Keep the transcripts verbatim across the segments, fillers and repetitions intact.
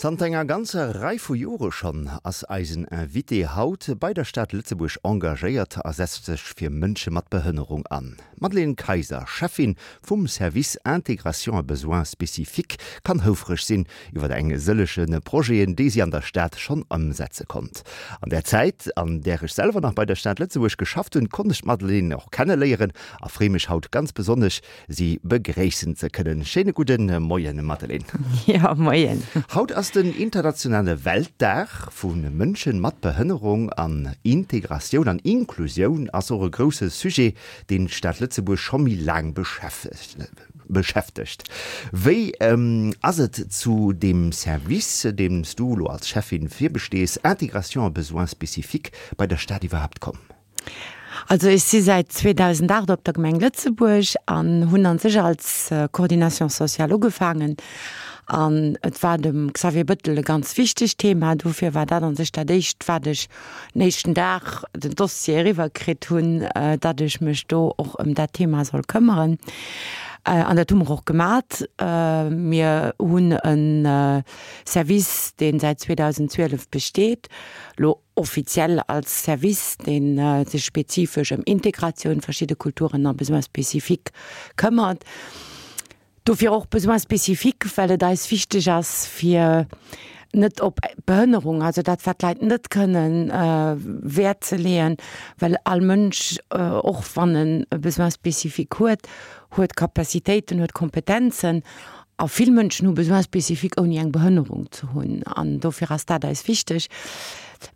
Zanter enger ganzer Rei vu Jore schonn ass eisen Invité haut bei der Stad Lëtzebuerg engagéiert a setzt sech fir Mënsche mat Behënnerung an. D'Madeleine Kayser, Cheffin vum Service Intégration et Besoins spécifiques, kann houfreg sinn iwwer eng sëllege Projeten, déi si an der Stad schonn ëmsetze konnt. An der Zäit, an där ech selwer nach bei der Stad Lëtzebuerg geschafft hunn, konnt ech d'Madeleine och kenneléieren a freeë mech haut ganz besonnesch, si begréissen ze kënnen. Schéine gudde Moien, Madeleine. Jo, Moien. Haut ass den internationale Weltdag vu Mënsche mat Behënnerung an Integratioun an Inklusioun ass och e grousse Sujet, deen d'Stad Lëtzebuerg scho méi laang beschäftegt. Wéi ass et zu deem Service, deem s du elo als Cheffin virbestees, Intégration et besoins spécifiques, bei der Stad iwwerhaapt komm? Also ech si säit zweedausendacht op der Gemeng Lëtzebuerg an hunn an sech als Coordination sociale ugefaangen. An et war dem Xavier Bettel e ganz wichtegt Thema. Dofir war dat an sech dat éischt, wat ech den éischten Dag den Dossier eriwwer kritt hunn, datt ech mech do och ëm dat Thema soll këmmeren. An dat hu mer och gemat. Mir hunn e Service, dee säit zweedausendzwielef besteet, lo offiziell als Service, dee sech spezifesch ëm Integratioun, verschidde Kulturen a Besoins spécifiques këmmert. Dofir och Besoins spécifiques, well et eis wichteg ass, fir net op Behënnerung, also dat wat d'Leit net kënnen, Wäert ze leeën, well all Mënsch, och wann en e Besoin spécifique huet, huet Capacitéiten, huet Kompetenzen. A vill Mënschen hu Besoins spécifiques ouni eng Behënnerung ze hunn. An dofir ass dat eis wichteg.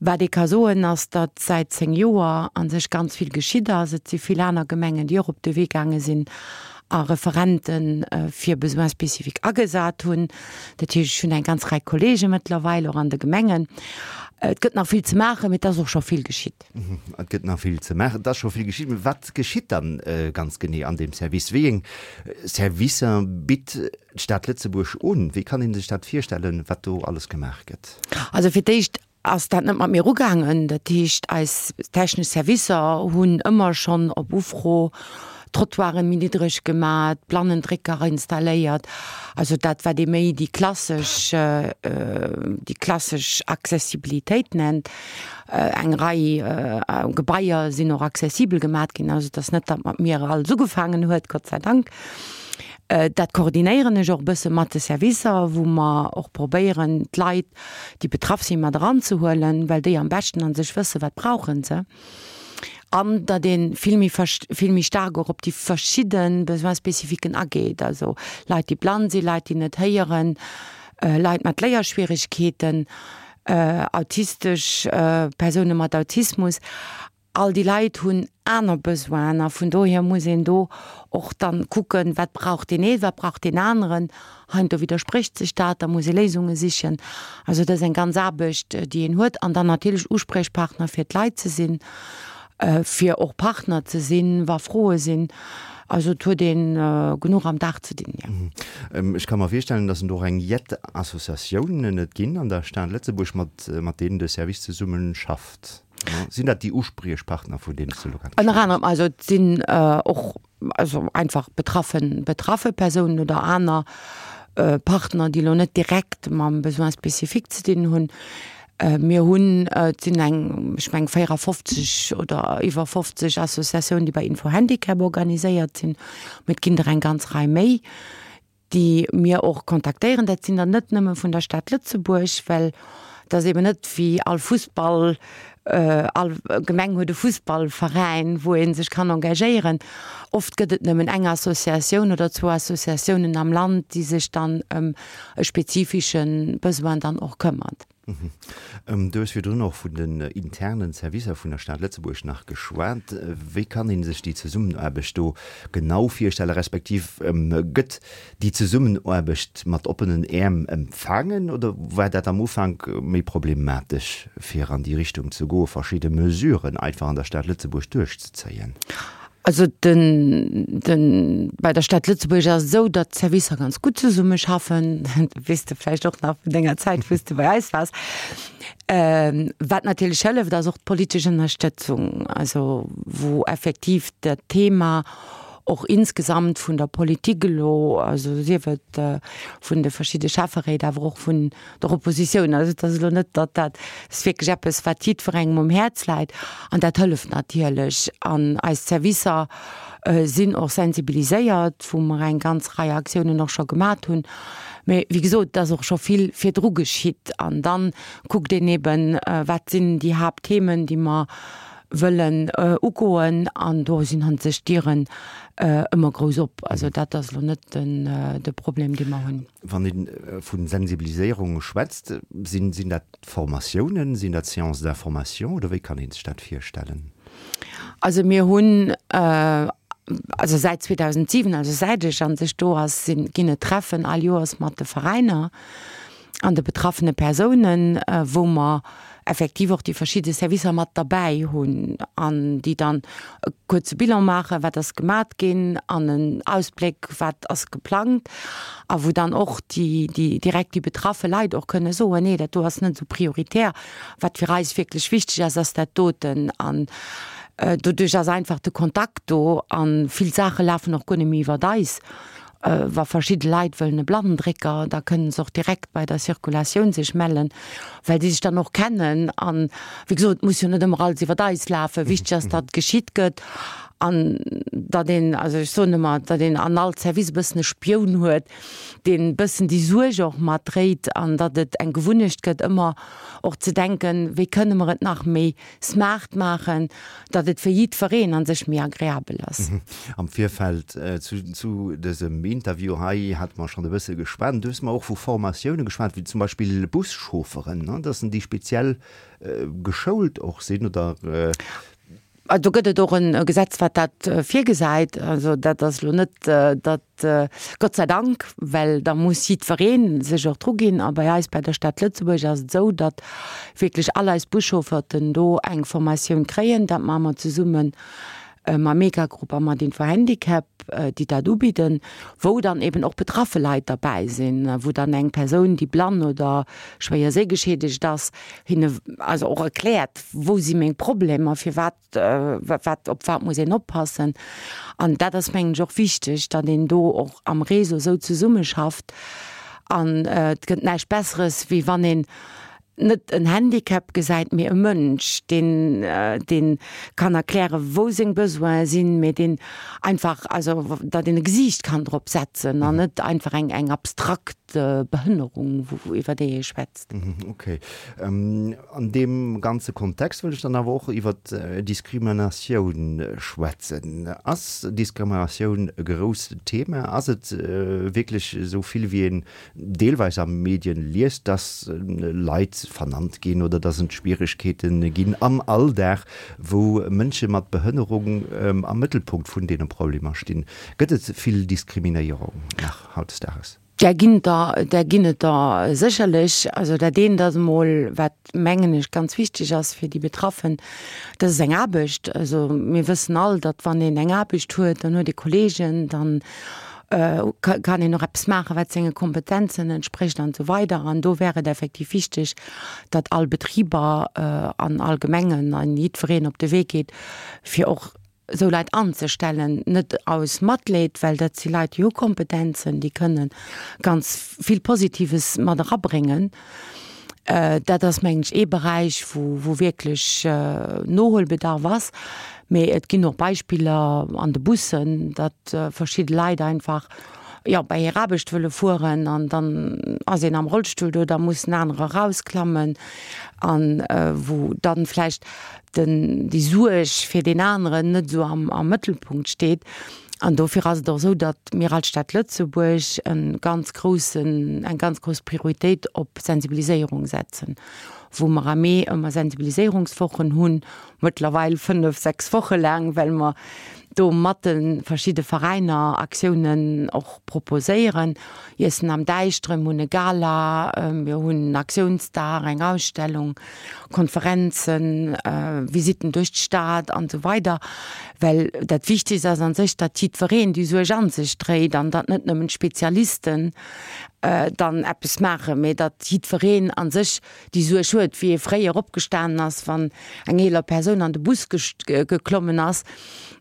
Wat ee ka soen, ass, datt säit zéng Joer a sech ganz vill geschitt ass. Et si vill aner Gemengen, déi och op de Wee gaange sinn a Referente fir Besoins spécifiques agesat hunn. Dat heescht, ech hunn eng ganz Rei Kollege mëttlerweil och an de Gemengen. Et gëtt nach vill ze maachen, mee et ass och scho vill geschitt. Et gëtt nach vill ze maachen, et ass scho vill geschitt. Mee wat geschitt dann ganz genee an deem Service? Wéi eng Servicer bitt d'Stad Lëtzebuerg un? Wéi kann ee sech dat virstellen, wat do alles gemaach gëtt? Also fir d'éischt ass dat net mat mir ugaangen. Dat heescht, eis technesch Servicer hunn ëmmer schonn op Ufro Trottoiren méi niddreg gemat, Blannendrécker installéiert, also dat wat ee méi déi klassesch, déi klassesch Accessibilitéit nennt. Eng Rei Gebaier sinn och accessibel gemat ginn, also et ass net, datt mat mir alles ugefaangen huet, Gott sei Dank. Dat koordinéieren ech och e bësse mat de Servicer, wou mer och probéieren, d'Leit, déi betraff sinn, mat eranzehuelen, well déi am beschten a sech wëssen, wat brauche se. An datt ee vill méi vill méi staark och op déi verschidde Besoin-spécifiquen ageet, also Leit, déi blann sinn, Leit, déi net héieren, Leit mat Léierschwieregkeeten, autistesch Persoune mat Autismus. All déi Leit hunn aner Besoinen a vun dohier muss een do och dann kucken, wat brauch deen een, wat brauch deen aneren. Heiansdo widdersprécht sech dat, da muss ee Léisunge sichen. Also dat ass eng ganz Aarbecht, déi een huet. An dann natierlech Uspriechpartner fir d'Leit ze sinn, fir och Partner ze sinn, wa Froe sinn. Also et huet ee genuch am Dag ze dinn, jo. Ech ka mer virstellen, datt et och eng jett Associatiounen et ginn an der Stad Lëtzebuerg, mat mat deenen de Service zesumme schafft. Sinn dat déi Uspriechpartner, vun deenen s de elo grad Ënner anerem. Also et sinn och also einfach betraffen betraffe Persounen oder aner Partner, déi elo net direkt mam Besoin spécifique ze dinn hunn. Mir hunn, et sinn eng, ech mengen véierafofzeg oder iwwer fofzeg Associatiounen, déi bei Info-Handicap organiséiert sinn, mee et ginn der eng ganz Rei méi, déi mir och kontaktéieren. Dat sinn der net nëmme vun der Stad Lëtzebuerg, well et ass eben net wéi all Fussball, all Gemeng huet e Fussballveräin, wou ee sech kann engagéieren. Oft gëtt et nëmmen eng Associatioun oder zwou Associatiounen am Land, déi sech dann ëm e spezifische Besoin dann och këmmert. Du hues virdrun och vun den internen Servicer vun der Stad Lëtzebuerg nach geschwat. Wéi kann ee sech déi Zesummenaarbecht do genau virstellen, respektiv gëtt déi Zesummenaarbecht mat oppenen Äerm empfaangen oder war dat am Ufank méi problematesch, fir an déi Richtung ze goen, verschidde Mesuren einfach an der Stad Lëtzebuerg duerchzezéien? Also den, den, bei der Stad Lëtzebuerg ass et esou, datt d'Servicer ganz gutt zesummeschaffen. Dat weess de vläicht och nach vun denger Zäit, wou s de bei eis waars. Wat natierlech hëlleft, ass och d'politesch Ënnerstëtzung, also wou effektiv dat Thema Och insgesamt vun der Politik elo, also sief et vun de verschidde Schäfferéit, awer och vun der Oppositioun. Also et ass elo net, datt dat, et ass wierklech eppes, wat jiddwerengem um Häerz läit an dat hëlleft natierlech. An eis Servicer sinn och sensibiliséiert, wou mer eng ganz Rei Aktiounen och scho gemat hunn. Mee wéi gesot, et ass och scho vill virdru geschitt. An dann kuckt een eben, wat sinn déi Haaptthemen, déi mer wëllen ugoen. An do sinn a sech d'Dieren ëmmer grouss op. Also dat ass elo net den de Problem, dee mer hunn. Wann ee vu Sensibiliséierung schwätzt, sinn sinn dat Formatiounen, sinn dat Séances d'information oder wéi kann ee sech dat virstellen? Also mir hunn also säit zweedausentsiwen, also säit ech an sech do ass, sinn, ginn et Treffen all Joers mat de Veräiner an de betraffene Persounen, wou mer effektiv och déi verschidde Servicer mat derbäi hunn an déi dann e kuerze Bilan maachen, wat ass gemat ginn an en Ausbléck, wat ass geplangt a wou dann och déi, déi direkt déi betraffe Leit och kënne soen, nee, dat do ass net esou prioritär, wat fir eis wierklech wichteg ass, ass dat doten. An doduerch ass einfach de Kontakt do a vill Saache lafen och guer net méi iwwert eis. Wa verschidde Leit wëllen e Blannendrécker, da kënnen se och direkt bei der Circulatioun sech mellen, well déi sech dann och kennen. An, wéi gesot, et muss jo net ëmmer alles iwwert eis lafen. Wichteg ass, datt geschitt gëtt an datt een, also ech soen ëmmer, datt een an all Service e bëssen e Spioun huet, deen e bëssen déi Suerg och mat dréit an datt et eng Gewunnecht gëtt, ëmmer och ze denken, wéi kënne mer et nach méi smart maachen, datt et fir jiddwereen a sech méi agreabel ass. Am Virfeld zu dësem Interview hei hate mer schonn e bësse geschwat. Du hues mer och vu Formatioune geschwat, wéi zum Beispill Buschaufferen, dass déi speziell geschoult och sinn oder? Do gëtt et och e Gesetz, wat dat virgesäit. Also dat ass elo net, datt, Gott sei Dank, well da muss jiddweree sech och druginn. A bei eis, bei der Stad Lëtzebuerg, ass et esou, datt wierklech all eis Buschaufferten do eng Formatioun kréien. Dat maache mer zesumme mam Mega-Group a mat Info-Handicap, déi dat ubidden, wou dann eben och betraffe Leit derbäi sinn, wou dann eng Persoun, déi blann oder schwéier séigeschiedegt ass, hinne also och erkläert, wou si meng Problemer, firwat, wat, op wat muss een oppassen. An dat ass, mengen ech, och wichteg, datt een do och am Réseau esou zesummeschafft. An et gëtt näischt Besseres, wéi wann een net en Handicap gesäit, mee e Mënsch, deen, deen kann erklären, wou seng Besoine sinn, mee deen einfach, also datt een e Gesiicht kann drop setzen an net einfach eng, eng abstrakt Behënnerung, wou, iwwer déi ee schwätzt. Okay. An deem ganze Kontext wëll ech dann awer och iwwer Diskriminatioun schwätzen. Ass Diskriminatioun e grousst Thema? Ass et wierklech esou vill, wéi een deelweis a Medien liest, dass Leit vernannt ginn oder dass et Schwieregkeete ginn am Alldag, wou Mënsche mat Behënnerung am Mëttelpunkt vun deene Problemer stinn. Gëtt et vill Diskriminéierung nach hautdesdaags? Där ginn der, där ginn et der sécherlech. Also dat eent ass emol, wat mengen ech ganz wichteg ass fir déi Betraffen, dat ass eng Aarbecht. Also mir wëssen all, datt wann een eng Aarbecht huet, dann huet ee Kolleegen, dann kann een och eppes maachen, wat senge Kompetenzen entsprécht an esou weider. An do wär et effektiv wichteg, datt all Betriber an all Gemengen an jiddwereen op de Wee geet, fir och esou Leit anzestellen, net aus Matleed, well dat si Leit, déi hu Kompetenzen, déi kënne ganz vill Positives mat erabréngen. Dat ass, mengen ech, ee Beräich, wou, wou wierklech Nohuelbedarf ass. Mee et ginn och Beispiller an de Bussen, datt verschidde Leit einfach, jo, bei hir Aarbecht wëlle fueren an dann ass een am Rollstull do, da muss en anere erausklammen an wou dann vläicht den, déi Suerg fir deen aneren net esou am, am Mëttelpunkt steet. An dofir ass et och esou, datt mir als Stad Lëtzebuerg e ganz groussen, eng ganz grouss Prioritéit op Sensibiliséierung setzen, wou mer am Mee ëmmer Sensibiliséierungswochen hunn, mëttlerweil fënnef, sechs Woche laang, well mer do mat de verschidde Veräiner Aktiounen och proposéieren. Iessen am Däischteren, mir hunn e Gala, mir hunn en Aktiounsdag, eng Ausstellung, Konferenzen, Visitten duerch d'Stad an esou weider. Well dat Wichtegst ass an sech, datt jiddwereen déi Suerg an sech dréit an datt net nëmmen d'Spezialisten dann eppes maachen, mee datt jiddwereen an sech déi Suerg huet, wéi ee fréier opgestanen ass, wann eng eeler Persoun an de Bus geklommen ass,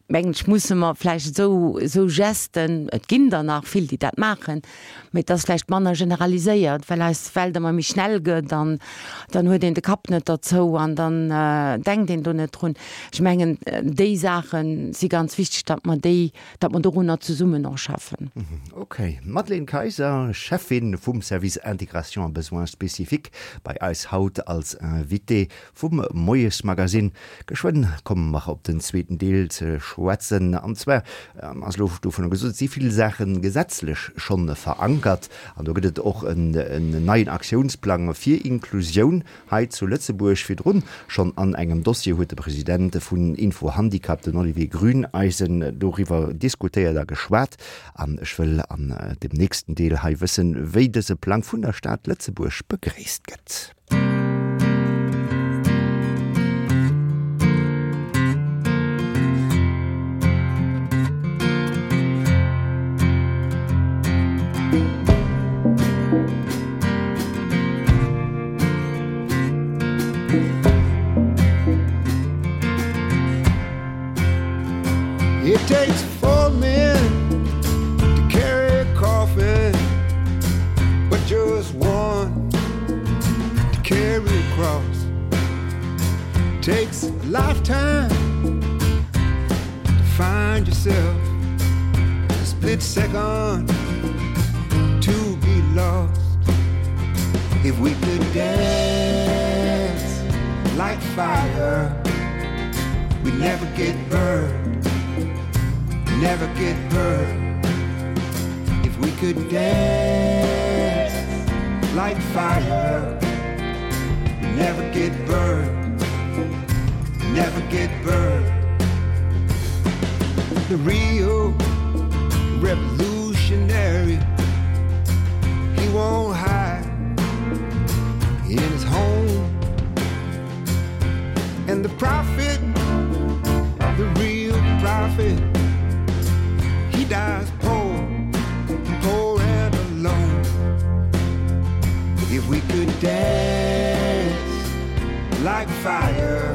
Mengen ech, musse mer vläicht esou, esou Gesten, et ginn der nach vill, déi dat maachen, mee et ass vläicht manner generaliséiert, well eis Welt ëmmer méi schnell gëtt an dann huet een de Kapp net derzou an dann denkt een do net drun. Ech mengen, déi Saache si ganz wichteg, datt mer déi, datt mer dorunner zesummen och schaffen. Okay. Madeleine Kayser, Cheffin vum Service Intégration a Besoins spécifiques, bei eis haut als Invitée vum Moiesmagazin. Geschwënn komme mer op den zweeten Deel ze schwätzen. An zwar ass elo dovunner gesot, et si vill Saache gesetzlech schonn verankert an do gëtt et och en neien Aktiounsplang fir Inklusioun hei zu Lëtzebuerg. Virdrun schonn an engem Dossier huet de President vun Info-Handicap, den Olivier Grüneisen, doriwwer diskutéiert a geschwat. An ech wëll an dem nächsten Deel hei wëssen, wéi dëse Plang vun der Stad Lëtzebuerg begréisst gëtt. It takes four men to carry a coffin, but just one to carry a cross. Takes a lifetime to find yourself, a split second to be lost. If we could dance like fire, we'd never get burned, never get burned. If we could dance like fire, we'd never get burned, never get burned. The real revolutionary, he won't hide in his home. And the prophet, the real prophet, he dies poor, poor and alone. If we could dance like fire,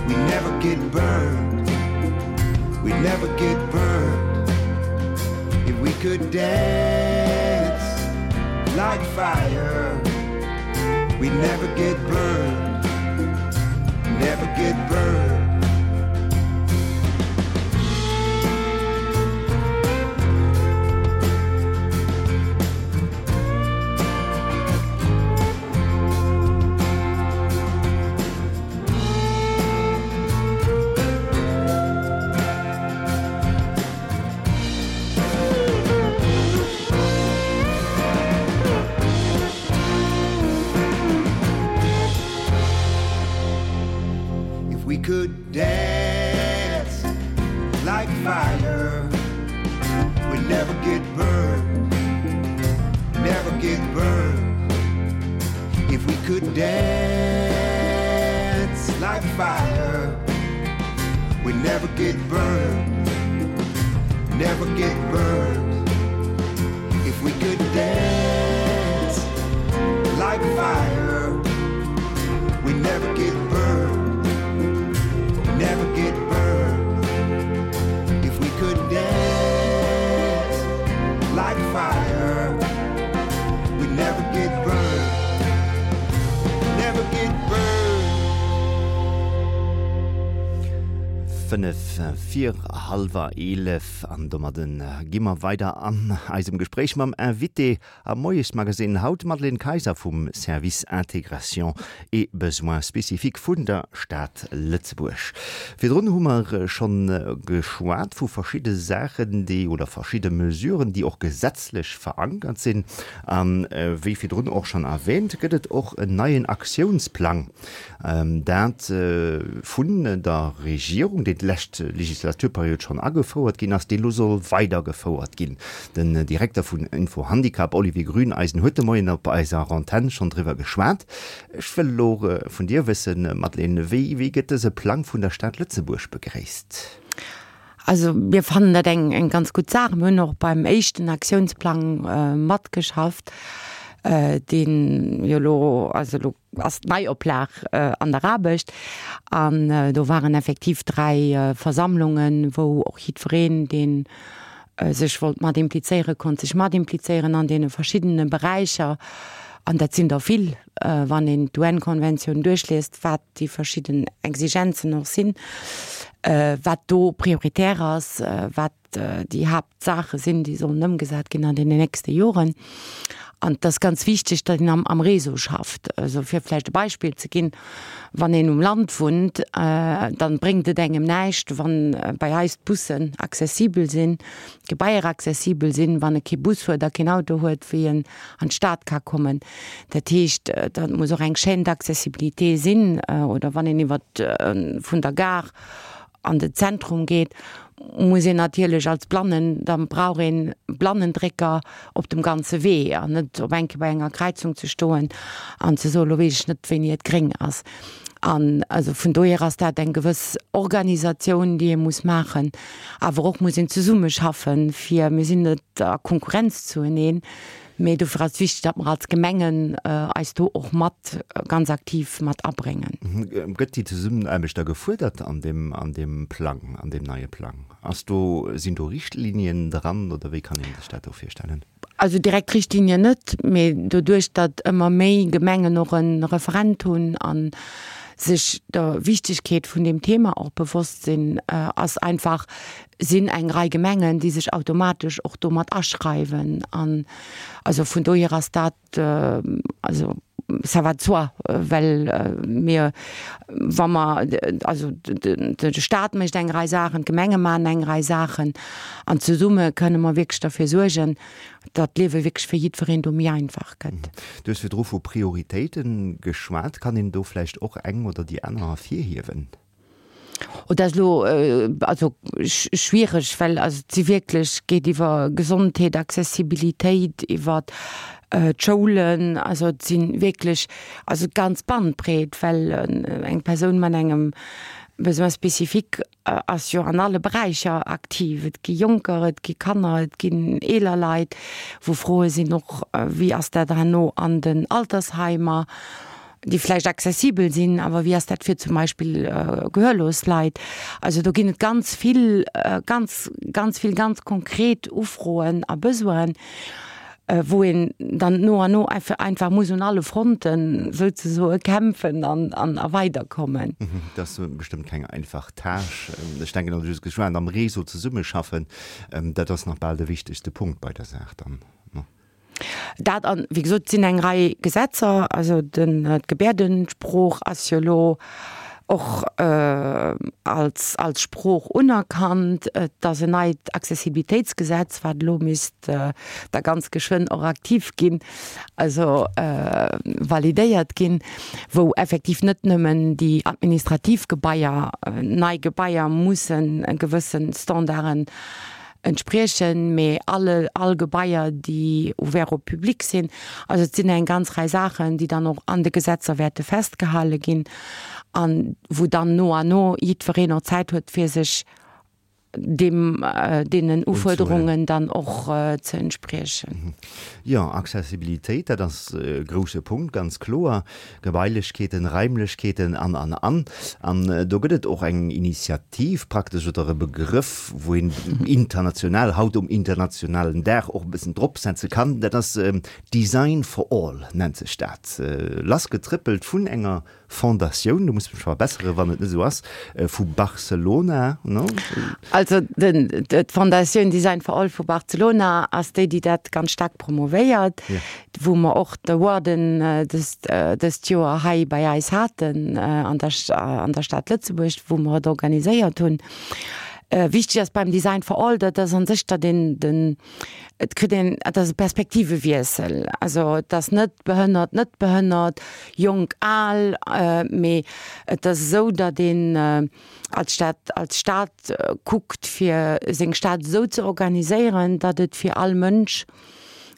we'd never get burned, we'd never get burned. If we could dance like fire, we'd never get burned, never get burned. If we could dance like fire, we'd never get burned, never get burned. If we could dance like fire, we'd never get burned, never get burned. If we could dance like fire, we'd never get burned, never get burned. If we could dance like fire, we'd never get burned, never get burned. Fënnef vir hallwer eelef an domadden gi mer weider an eisem Gespréich mam Invité am Moiesmagazin haut, d'Madeleine Kayser vum Service Intégration et Besoins spécifiques vun der Stad Lëtzebuerg. Virdrun hu mer schonn geschwat vu verschidde Saachen, déi oder verschidde Mesuren, déi och gesetzlech verankert sinn. An wéi virdrun och schonn erwähnt, gëtt et och en neien Aktiounsplang, dat vun der Regierung, deen d'lescht Legislaturperiod schonn agefouert ginn ass, dee lo soll weidergefouert ginn. Den Direkter vun Info-Handicap, Olivier Grüneisen, huet de Moien op eiser Antenn schonn driwwer geschwat. Ech wëll elo vun dir wëssen, Madeleine, wéi, wéi gëtt dëse Plang vun der Stad Lëtzebuerg begréisst? Also mir fannen dat eng, eng ganz gutt Saach. Mir hunn och beim éischten Aktiounsplang matgeschafft. deen jo elo, also elo ass d'Neioplag an der Aarbecht an do waren effektiv dräi Versammlungen, wou och jiddwereen, dee sech wollt mat implizéieren, konnt sech mat implizéieren an deene verschiddene Beräicher. An dat sinn der vill, wann een d'UN-Konventioun duerchliest, wat déi verschidden Exigenzen och sinn, wat do prioritär ass, wat déi Haaptsaache sinn, déi sollen ëmgesat ginn an deenen nächste Joren. An et ass ganz wichteg, datt een am am Réseau schafft. Also fir vläicht e Beispill ze ginn, Wann een um Land wunnt, dann bréngt et engem näischt, wann bei eis d'Bussen accessibel sinn, d'Gebaier accessibel sinn, wann e kee Bus huet a keen Auto huet, wéi en an d'Stad ka kommen. Dat heescht, dat muss och eng Chaîne d'accessibilité sinn. Oder wann een iwwer vun der Gare an den Zentrum geet, muss een natierlech als Blannen, da brauch een Blannendrécker op dem ganze Wee an net op eng Kéier bei enger Kräizung ze stoen an ze soen, elo weess ech net, wéini et gréng ass. An also vun dohier ass dat eng gewëss Organisatioun, déi ee muss maachen, awer och muss een zesummeschaffen, fir, mir sinn net a Konkurrenz zueneen, Mee dofir ass et wichteg, datt mer als Gemengen eis do och mat ganz aktiv mat abréngen. Gëtt déi Zesummenaarbecht da gefuerdert an deem, an deem Plang, an deem neie Plang? Ass do, sinn do Richtlinien dran oder wéi kann ee sech dat do virstellen? Also direkt Richtlinien net, mee doduerch, datt ëmmer méi Gemengen och e Referent hunn a sech der Wichtigkeet vun deem Thema och bewosst sinn, ass einfach, sinn eng Rei Gemengen, déi sech automatesch och do mat aschreiwen. An also vun dohier ass dat, also ça va de soi, well mir, wa mer, also de Stat mécht eng Rei Saachen, d'Gemenge maachen eng Rei Saachen an zesumme kënne mer wierklech derfir suergen, datt d'Liewe wierklech fir jiddwereen do méi einfach gëtt. Du hues virdru vu Prioritéite geschwat. Kann een do vläicht och eng oder déi aner ervirhiewen? Oh, dat ass elo also schwiereg, well also et si wierklech, geet iwwer Gesondheet, Accessibilitéit, iwwer d'Schoulen, also et si wierklech, also d'ganz Bandbreet, well eng Persoun mat engem Besoin spécifique ass jo an alle Beräicher aktiv. Et gi Jonker, et gi Kanner, et ginn eeler Leit, wou Froe sinn och, wéi ass dat herno an den Altersheimer, déi vläicht accessibel sinn, awer wéi ass dat fir zum Beispill gehörlos Leit? Also do ginn et ganz vill, ganz, ganz vill ganz konkret Ufroen a Besoinen, wou een dann no an no einfach muss un alle Fronten souzesoe kämpfen an a weiderkommen. Dat ass bestëmmt keng einfach Tâche. Ech denken, also just geschwat, am Réseau zesummeschaffen, dat ass nach bal de wichtegste Punkt bei der Saach dann, ne? Dat an, wéi gesot, et sinn eng Rei Gesetzer, also den, d'Gebäerdensprooch ass jo elo och als, als Sprooch unerkannt. Et ass en neit Accessibilitéitsgesetz, wat elo misst da ganz geschwënn och aktiv ginn, also validéiert ginn, wou effektiv net nëmmen déi administrativ Gebaier, nei Gebaier mussen gewësse Standarden entspriechen, mee alle, all Gebaier, déi ouvert au public sinn. Also et sinn eng ganz Rei Saachen, déi dann och an de Gesetzer wäerte festgehale ginn an wou dann no an no jiddwereen och Zäit huet, fir sech deem, deenen Ufuerderungen dann och ze entspriechen. Jo, Accessibilitéit, dat ass e grouse Punkt, ganz kloer. Gebailechkeeten, Raimlechkeeten an, an, an. An do gëtt et och eng Initiativ praktesch oder e Begrëff, wou een international, haut um internationalen Dag och e bëssen dropsetze kann. Dat ass Design for all nennt sech dat. Lassgetrëppelt vun enger Fondatioun, du muss mech verbessere wann et net esou ass, vu Barcelona, no? Also den, d'Fondatioun Design for All vu Barcelona ass déi, déi dat ganz staark promovéiert, wou mer och d'Awarden dëst, dëst Joer hei bei eis haten an der, an der Stad Lëtzebuerg, wou mer et organiséiert hunn. Wichteg ass beim Design for All, dat ass an sech, datt een den, et kritt een, et ass e Perspektivewiessel. Also et ass net behënnert, net behënnert, jonk, al, mee et ass esou, datt een als Stad, als Stad kuckt, fir seng Stad esou ze organiséieren, datt et fir all Mënsch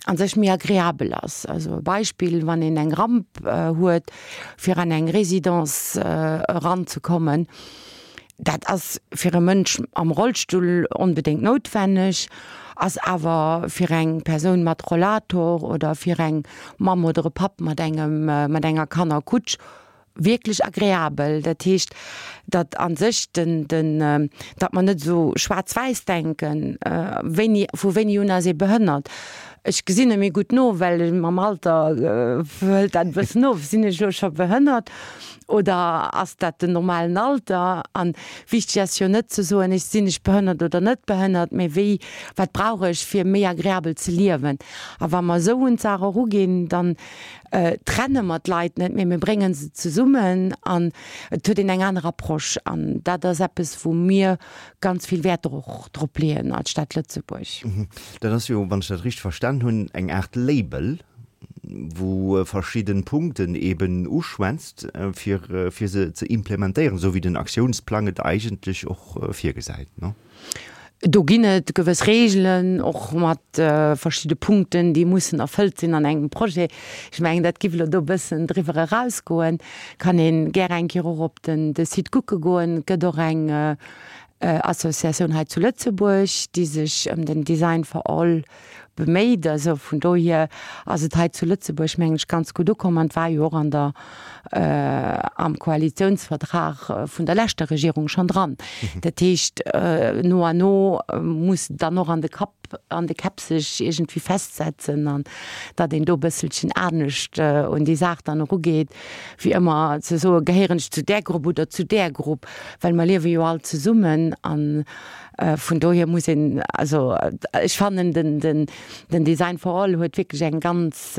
a sech méi agreabel ass. Also e Beispill, wann een eng Ramp huet, fir an eng Résidence eranzekommen, Dat ass fir e Mënsch am Rollstull onbedéngt noutwenneg, ass awer fir eng Persoun mat Rollator oder fir eng Mamm oder e Papp mat engem, mat enger Kannerkutsch wierklech agreabel. Dat heescht, datt a sech den, den, datt mer net esou schwaarz-wäiss denken, wéini, vu wéini un ass ee behënnert. Ech gesinn net méi gutt no, well mam Alter hëlt dat e bëssen of. Sinn ech elo scho behënnert oder ass dat den normalen Alter? An wichteg ass jo net ze soen, ech sinn ech behënnert oder net behënnert, mee wéi, wat brauch ech fir méi agreabel ze liewen? A wa mer esou un d'Saach eruginn, dann trenne mer d'Leit net, mee mir brénge se zesummen an et huet een eng aner Approche. An dat ass eppes, wou mir ganz vill Wäert och drop leeën als Stad Lëtzebuerg. Dat ass jo, wann ech dat richteg verstan hunn, eng Aart Label, wou verschidde Punkten eben uschwätzt, fir, fir se ze implementéieren, esou wéi den Aktiounsplang et eigentlech och virgesäit, ne? Do ginn et gewëss Reegelen, och mat verschidde Punkten, déi mussen erfëllt sinn an engem Projet. Ech mengen, dat giff elo do e bëssen driwwer erausgoen. Kann een gär eng Kéier och op den de Site kucke goen. Et gëtt och eng Associatioun hei zu Lëtzebuerg, déi sech ëm den Design for All beméit. Also vun dohier ass et hei zu Lëtzebuerg, mengen ech, ganz gutt ukomm an et war jo och an der, am Koalitiounsvertrag vun der leschter Regierung schonn dran. Dat heescht, no an no muss et dann och an de Kapp, an de Käpp sech iergendwéi festsetzen an datt een do e bësselchen anescht un déi Saach dann erugeet, wéi ëmmer ze soen, gehéieren ech zu där Grupp oder zu där Grupp, well mer liewe jo all zesummen an vun dohier muss een, also ech fannen den, den, den Design for All huet wierklech eng ganz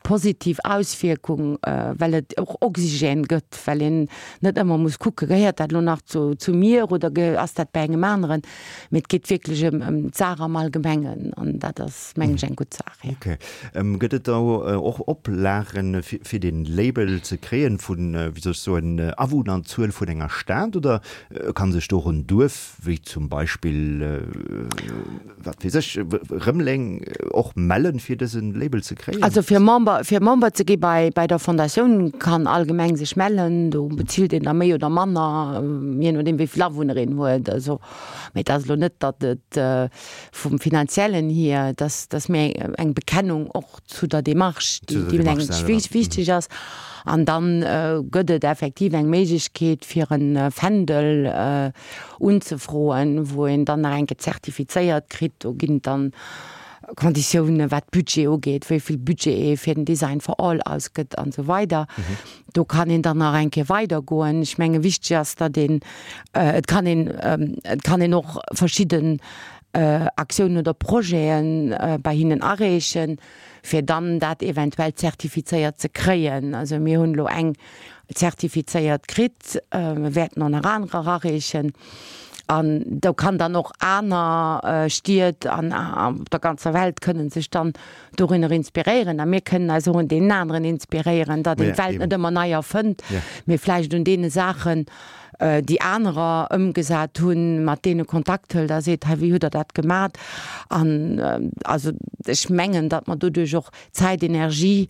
positiv Auswierkung, well et och Oxygène gëtt, well een net ëmmer muss kucken, gehéiert dat elo nach zu, zu mir oder ass dat bei engem aneren, mee et geet wierklech ëm, ëm d'Saach am Allgemengen an dat ass, mengen ech, eng gutt Saach, jo. Okay. Gëtt et da och Oplagen, fir, fir dee Label ze kréien, vun, wéi soll ech soen, Awunnerzuel vun enger Stad oder ka sech do och en Duerf, wéi zum Beispill, wat weess ech, Rëmeleng, och mellen, fir dëse Label ze kréien? Also fir Member, fir Member ze gi bei, bei der Fondatioun kann all Gemeng sech mellen. Do bezilt een da méi oder manner, jee nodeem wéi vill Awunner een huet. Also, mee et ass elo net, datt et vum Finanziellen hier, dass, dass méi eng Bekennung och zu der Démarche, déi, déi mengen ech wichteg ass. An dann gëtt et effektiv eng Méiglechkeet fir e Fändel unzefroen, wou een dann nach eng Kéier zertifizéiert kritt. Do ginn et dann Konditiounen, wat Budget ugeet, wéi vill Budget ee fir den Design for All ausgëtt an esou weider. Do kann een dann nach eng Kéier weidergoen. Ech menge wichteg ass, datt een, et kann een, et kann een och verschidden Aktiounen oder Projete bei hinnen areechen, fir dann dat eventuell zertifizéiert ze kréien. Also mir hunn elo eng zertifizéiert kritt, mir wäerten och nach anerer areechen. An do kann dann och aner Stied an op der ganzer Welt kënnen sech dann dorunner inspiréieren. A mir kënnen eis och un deenen aneren inspiréieren, datt een d'Welt net ëmmer nei erfënnt, mee vläicht un deene Saachen, déi anerer ëmgesat hunn, mat deene Kontakt hëlt a seet, hei wéi hutt Der dat gemat? An also ech mengen, datt mer doduerch och Zäit, Energie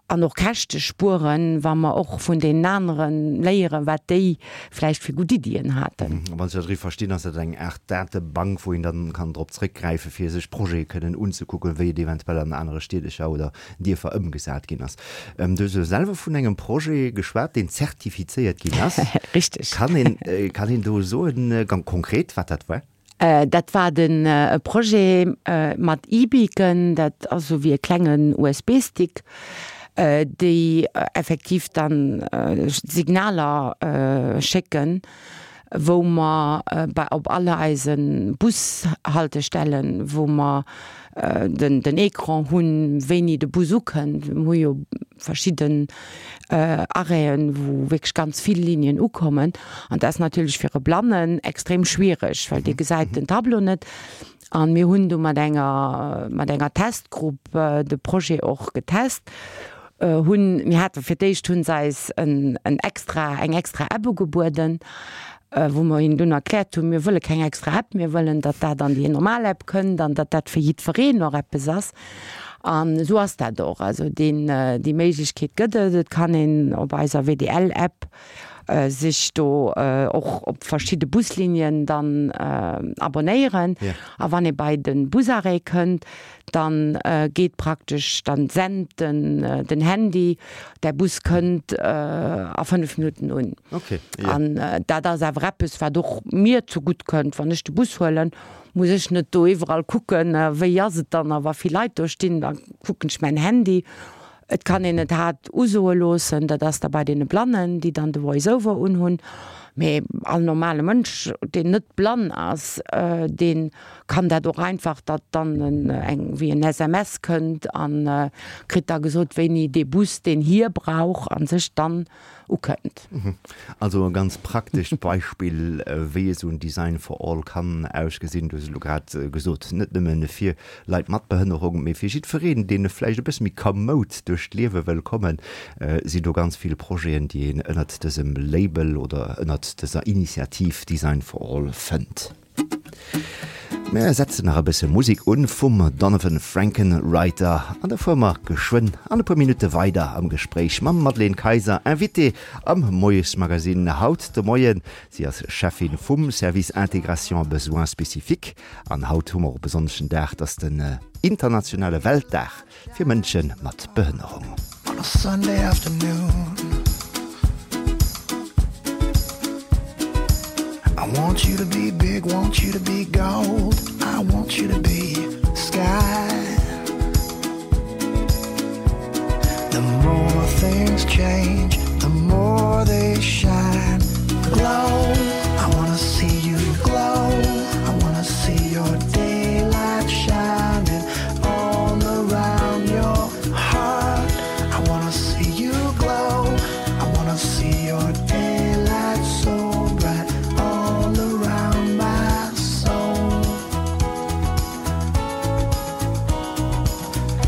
an och Käschte spueren, wa mer och vun deenen anere léieren, wat déi vläicht fir gutt Iddien haten. A wann ech dat richtig verstinn, ass dat eng Aart Datebank, wou een dann kann drop zréckgräifen, fir sech Projete kënnen unzekucken, wéi et eventuell an anere Stiedercher oder Dierfer ëmgesat ginn ass. Du hues elo selwer vun engem Projet geschwat, deen zertifizéiert ginn ass. Richtig. Kann een, kann een do soen, ganz konkret, wat dat war? Dat war den e Projet mat E-Beacon, dat ass esou wéi e klengen U S B-Stick, déi effektiv dann Signaler schécken, wou mer bei op alle eise Bushaltestellen, wou mer den den Ecran hunn, wéini de Bus ukënnt. Mir hu jo verschidden Arrêten, wou wierklech ganz vill Linien ukommen. An dat ass natierlech fir e Blannen extrem schwiereg, well dee gesäit den Tableau net. An mir hunn du mat enger mat enger Testgrupp de Projet och getest. Hunn, mir hate fir d'éischt hunn se eis en en extra eng extra App ugebueden, wou mer hinnen dunn erkläert hunn, mir wëlle keng extra App, mir wëllen, datt dat an déi normal App kënnt an datt dat fir jiddwereen och eppes ass. An esou ass dat och. Also deen déi Méiglechkeet gëtt et. Et kann een op eiser W D L App sech do och op verschidde Buslinien dann abonnéieren. A wann ee bei de Busarrêt kënnt, dann geet praktesch, dann sent den den Handy, der Bus kënnt a fënnef Minutten un. An dat ass awer eppes, wat och mir zegutt kënnt, wann ech de Bus huelen, muss ech net do iwwerall kucken, wéi ass et dann a wa vill Leit do stinn, da kucken ech mäin Handy. Et kann een et haart usoe loossen, dat ass da bei deene Blannen, déi dann de Voice-over unhunn. Mee all normale Mënsch, deen net blann ass, dee kann dat och einfach, datt dann eng wéi en S M S kënnt a kritt da gesot, wéini dee Bus, deen hie brauch, a sech dann ukënnt. Also e ganz praktescht Beispill, wéi esou en Design for all kann ausgesinn. Du hues elo grad gesot, net nëmme fir Leit mat Behënnerung, mee fir jiddwereen, deen vläicht e bësse méi kamoud duerch d'Liewe wëll kommen, sinn do ganz vill Projeten, déi een ënnert dësem Label oder ënnert dëser Initiativ Design for all fënnt. Mir setzen nach e bësse Musek un vum Donovan Frankenreiter an da fuere mer geschwënn an e puer Minutte weider am Gespréich mam Madeleine Kayser, Invitée am Moiesmagazin haut de Moien. Si ass Cheffin vum Service Intégration Besoins Spécifiques an haut hu mer och e besonneschen Dag, dat ass den internationale Weltdag fir Mënsche mat Behënnerung. On a Sunday afternoon I want you to be big, want you to be gold. I want you to be sky. The more things change, the more they shine. Glow, I wanna see you glow. I wanna see your daylight shining all around your heart. I wanna see you glow. I wanna see your daylight so bright all around my soul.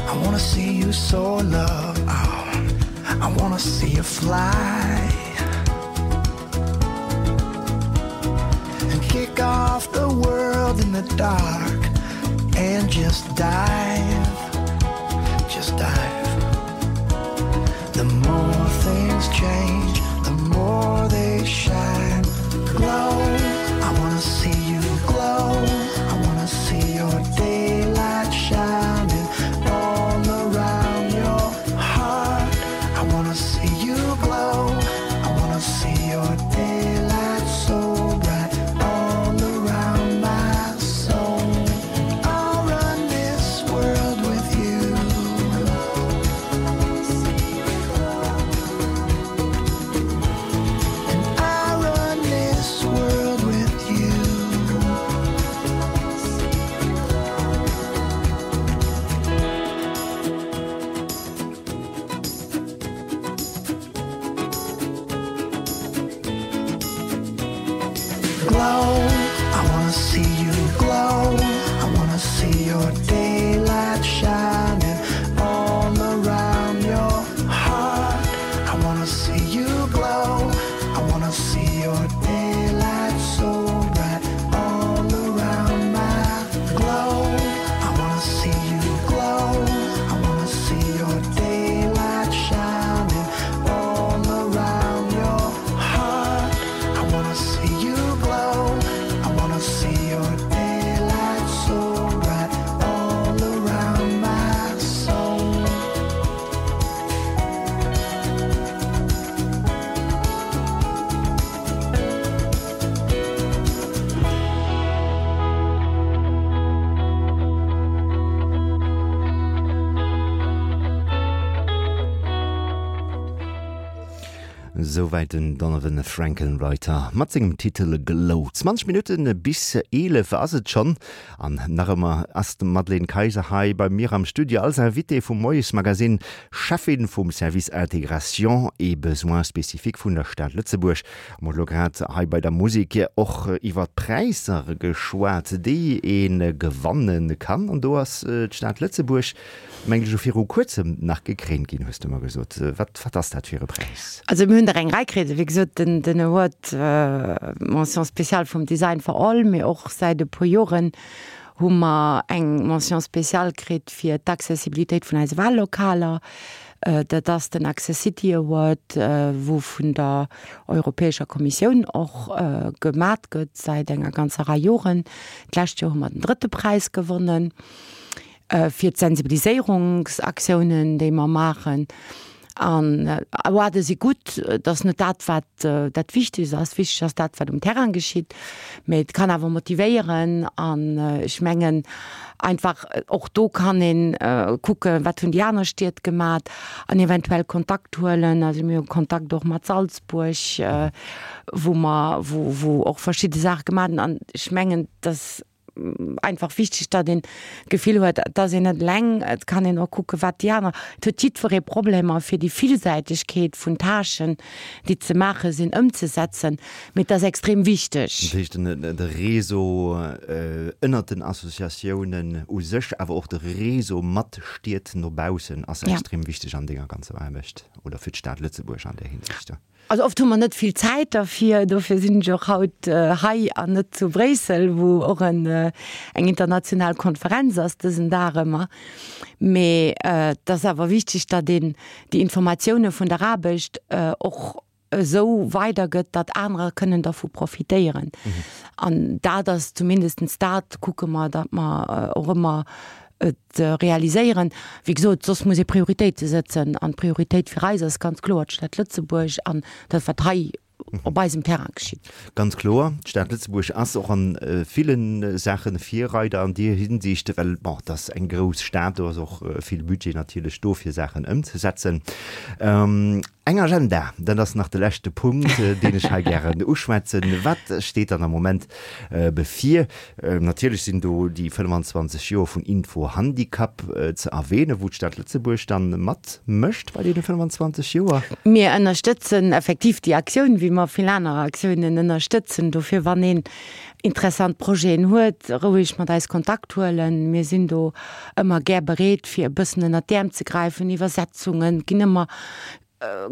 I wanna see you soar, love. Oh, I wanna see you fly and kick off the world in the dark and just dive, just dive. The more things change, the more they shine. Glow, I wanna see you glow. I wanna see your daylight shining all around your heart. I wanna see you glow. I wanna see your daylight so bright all around my soul. I'll run this world with you. And I run this world with you. Glow, I wanna see you glow. I wanna see your daylight shining all around your heart. I wanna see you glow. I wanna see your daylight so bright all around my glow. I wanna see you glow. I wanna see your daylight shining all around your heart. I wanna see you glow. I wanna see your daylight so bright all around my soul. Souwäit den Donovan Frankenreiter mat sengem Titel Glow. zwanzeg Minutten bis eelef ass et schonn. An nach ëmmer ass d'Madeleine Kayser hei bei mir am Studio als Invitée vum Moiesmagazin, Cheffin vum Service Intégration et Besoins Spécifiques vun der Stad Lëtzebuerg. Mir hu lo grad hei bei der Musek och iwwer d'Präisser geschwat, déi ee gewanne kann. An do ass d'Stad Lëtzebuerg, mengen ech, elo viru kuerzem nach gekréint ginn, hues du mer gesot. Wat, wat ass dat fir e Präis? Also mir hunn der eng Rei kritt. Wéi gesot, den, den Award Mention spéciale vum Design for All, mee och säit e puer Joren hu mer eng Mention spéciale kritt fir d'Accessibilitéit vun eise Wahllokaler. Dat ass den Accessity Award, wou vun der Europäescher Kommissioun och gemat gëtt säit enger ganzer Rei Joren. D'lescht Joer hu mer den drëtte Präis gewonnen fir d'Sensibiliséierungsaktiounen, déi mer maachen. An Awardë si gutt, et ass net dat, wat dat Wichtegst ass. Wichteg ass dat, wat um Terrain geschitt. Mee et kann awer motivéieren an ech mengen einfach och do kann ee kucken, wat hunn déi aner Stied gemat an eventuell Kontakt huelen. Also mir hu Kontakt och mat Salzburg, wou mer, wou, wou och verschidde Saache gemat hunn. An ech mengen, dass einfach wichteg, datt een d'Gefill huet, et ass een net eleng, et kann een och kucke wat déi aner, et huet jiddweree Problemer fir déi Villsäitegkeet vun Tâchen, déi ze maache sinn, ëmzesetzen, mee et ass extrem wichteg. Dat heescht, de Réseau ënnert den Associatiounen u sech, awer och de Réseau mat Stied no baussen ass extrem wichteg an denger ganzer Aarbecht oder fir d'Stad Lëtzebuerg an där Hinsicht. Also oft hu mer net vill Zäit derfir, dofir sinn ech och haut hei an net zu Bréissel, wou och en eng international Konferenz ass dësen Dag ëmmer. Mee et ass awer wichteg, datt een déi Informatioune vun der Aarbecht och esou weidergëtt, datt anerer kënnen dervu profitéieren. An dat ass zumindest dat kucke mer, datt mer och ëmmer et realiséieren. Wéi gesot, soss muss ee Prioritéite sëtzen an d'Prioritéit fir eis ass ganz kloer d'Stad Lëtzebuerg an dat, wat hei op eisem Terrain geschitt. Ganz kloer, d'Stad Lëtzebuerg ass och a ville Saache Virreider an deer Hinsicht, well, bon, et ass eng grouss Stad, do ass och vill Budget natierlech do, fir Saachen ëmzesetzen. Eng Agenda, dat ass nach de leschte Punkt, deen ech hei gären uschwätzen. Wat steet dann am Moment bevir? Natierlech sinn do déi fënnfanzwanzeg Joer vun Info-Handicap ze erwähnen, wou d'Stad Lëtzebuerg dann matmécht bei deene fënnfanzwanzeg Joer. Mir ënnerstëtzen effektiv déi Aktioun, wéi mer vill aner Aktiounen ënnerstëtzen. Dofir, wann een interessant Projeten huet, roueg mat eis Kontakt huelen. Mir sinn do ëmmer gär bereet, fir e bëssen ënnert d'Äerm ze gräifen, Iwwersetzungen ginn ëmmer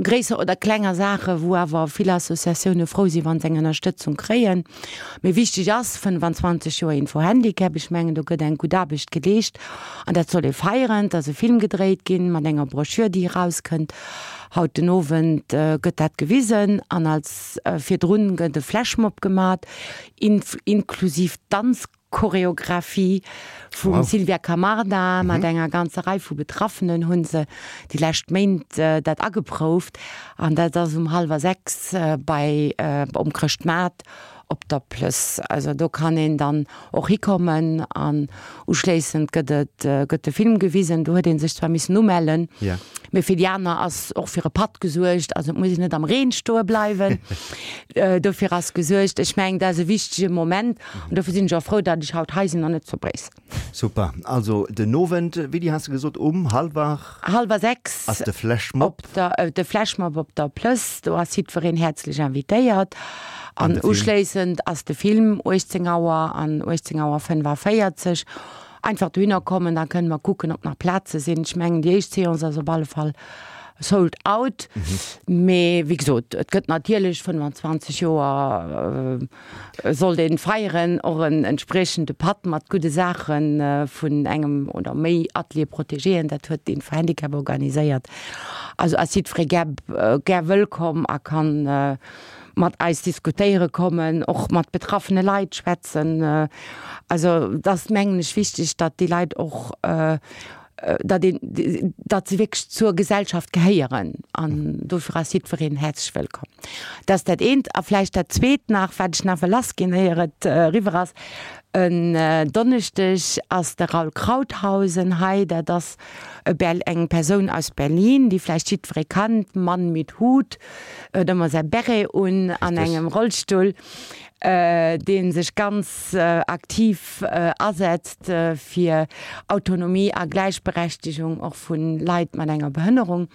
gréisser oder klenger Saache wou awer vill Associatioune frou sinn, wa se eng Ënnerstëtzung kréien. Mee wichteg ass, fënnfanzwanzeg Joer Info Handicap, ech mengen do gëtt eng gutt Aarbecht geleescht an dat soll ee feieren. Et ass e Film gedréit ginn mat enger Broschür, déi erauskënnt. Haut den Owend gëtt dat gewisen an als virdrun gëtt e Flashmob gemat, inklusiv Danz. Choreographie vum wow. Sylvia Camarda mhm. mat enger ganzer Rei vu Betraffenen hunn se déi lescht Méint äh, dat ageprouft an dat ass um halwer sechs äh, bei äh, um Chrëschtmaart op der Plëss. Also do kann een dann och hikommen an uschléissend gëtt et äh, gëtt de Film gewisen, do huet een sech zwar missen umellen. Ja. Mee fir déi aner ass och fir e Patt gesuergt, also et muss een net am Reen stoe bleiwen. Dofir ass gesuergt. Ech mengen, dat ass e wichtege Moment an dofir sinn ech och frou, datt ech haut hei sinn an net zu Bréissel. Super. Also den Owend, wéini has de gesot, um hallwer. Hallwer sechs. Ass de Flashmob. Op der, de Flashmob op der Plëss. Do ass jiddwereen häerzlech invitéiert. An uschléissend ass de Film uechtzéng Auer an uechtzéng Auer fënnefaféierzeg. Einfach dohinner kommen, da kënne mer kucken, ob nach Plaze sinn. Ech mengen, déi éischt Seance ass op alle Fall sold out. Mee wéi gesot, et gëtt natierlech fënnfanzwanzeg Joer sollt ee feieren, och en entspriechende Patt mat gudde Saache vun engem oder méi Ateliers protégéen. Dat huet d'Info-Handicap organiséiert. Also ass jiddweree gär gär wëllkomm a kann mat eis diskutéiere kommen, och mat betraffene Leit schwätzen. Also et ass, mengen ech, wichteg, datt déi Leit och, datt een, datt se wierklech zur Gesellschaft gehéieren an dofir ass jiddwereen häerzlech wëllkomm. Dat ass dat eent. A vläicht dat zweet nach, wat ech nach wëll lassginn, éier et eriwwer ass, En Donneschdeg ass de Raul Krauthausen hei. Dat ass e Ber eng Persoun aus Berlin, déi vläicht jiddweree kannt, Mann mit Hut, huet ëmmer säi Beret un, an engem Rollstull, dee sech ganz aktiv asetzt fir Autonomie a Gläichberechtegung och vu Leit mat enger Behënnerung.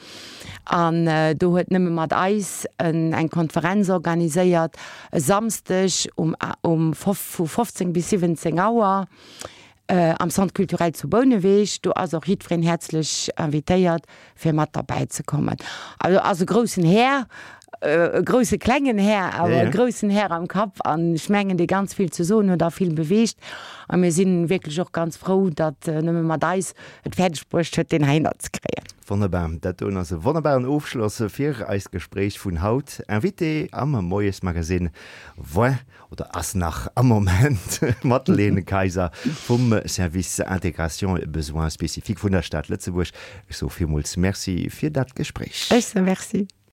An do huet Nëmme mat eis eng Konferenz organiséiert e Samsdeg um um vu fofzéng bis siwwenzéng Auer am Centre culturel zu Bouneweg. Do ass och jiddwereen häerzlech invitéiert, fir mat derbäi ze kommen. Also ass e groussen Här, e grousse klengen Här, awer e groussen Här am Kapp an ech mengen, dee ganz vill ze soen huet a vill beweegt. A mir si wierklech och ganz frou, datt nëmme mat eis et fäerdeg bruecht huet, deen heihinner ze kréien. Wonnerbar, dat doen ass e wonnerbaren Ofschloss fir eist Gespréich vun haut. Invitée am Moiesmagazine war oder ass nach am Moment d'Madeleine Kayser vum Service Intégration et Besoins spécifiques vun der Stad Lëtzebuerg. Ech soe villmools Merci fir dat Gespréich. Ech soe Merci.